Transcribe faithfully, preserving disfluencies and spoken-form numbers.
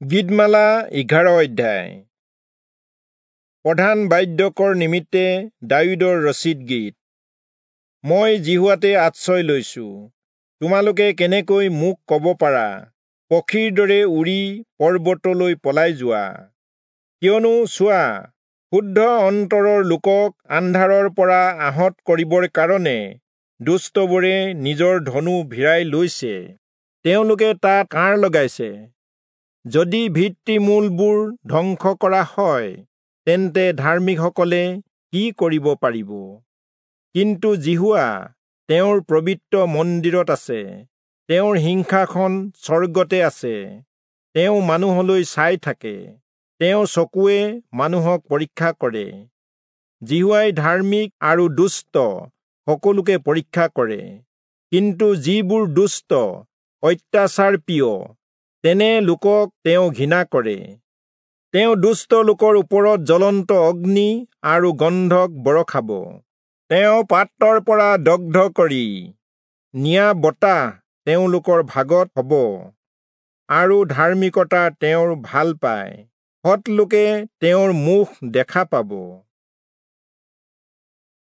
গীতমালা এঘাৰ অধ্যায়। প্ৰধান বাদ্যকৰ নিমিত্তে দায়ূদৰ ৰচিত গীত। মই যিহোৱাতে আশ্ৰয় লৈছো। তোমালোকে কেনেকৈ মোক কব পাৰা, পক্ষীৰ দৰে উৰি পৰ্বতলৈ পলাই যোৱা? কিয়নো চোৱা, শুদ্ধ অন্তৰৰ লোকক আন্ধাৰৰ পৰা আহত কৰিবৰ কাৰণে দুষ্টবোৰে নিজৰ ধনু ভিৰাই লৈছে, তেওঁলোকে তাত কাঁড় লগাইছে। যদি ভিত্তিমূলবোৰ ধ্বংস কৰা হয়, তেন্তে ধাৰ্মিকসকলে কি কৰিব পাৰিব? কিন্তু যিহোৱা তেওঁৰ পবিত্ৰ মন্দিৰত আছে, তেওঁৰ সিংহাসন স্বৰ্গতে আছে। তেওঁ মানুহলৈ চাই থাকে, তেওঁৰ চকুৱে মানুহক পৰীক্ষা কৰে। যিহোৱাই ধাৰ্মিক আৰু দুষ্ট সকলোকে পৰীক্ষা কৰে, কিন্তু যিবোৰ দুষ্ট, অত্যাচাৰ প্ৰিয়, তেনে লোকক তেওঁ ঘৃণা কৰে। তেওঁ দুষ্ট লোকৰ ওপৰত জ্বলন্ত অগ্নি আৰু গন্ধক বৰষাব। তেওঁ পাত্ৰৰ পৰা দগ্ধ কৰি নিয়া বতাহ তেওঁলোকৰ ভাগত হব, আৰু ধাৰ্মিকতা তেওঁৰ ভাল পায়। সৎলোকে তেওঁৰ মুখ দেখা পাব।